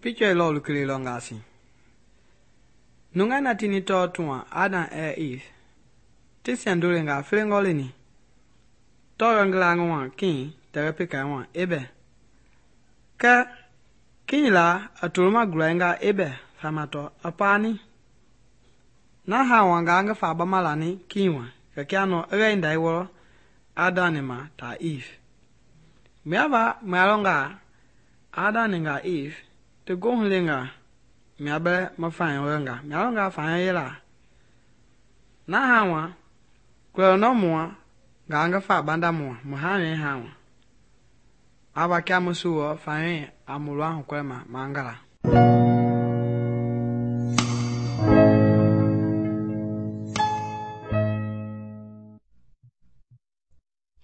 Picture lo lukele longasi. Nunga na tini to tuwa Adam Eve. Tisian dulinga flingolini. Torangla ngwa king terapika ngwa ebe. Ka king la atuluma gulainga ebe famato apani. Na hawa nga fa bamalani kingwa kakiano reinda iwolo Adam ma ta Eve. Miava malonga Adam nga Eve te gohlenga miabe mafanya wenga mialonga fanya yela na hawa kweno mua nga fa banda mua muhane hawa aba kya musuwa fanya amulwa kwema mangala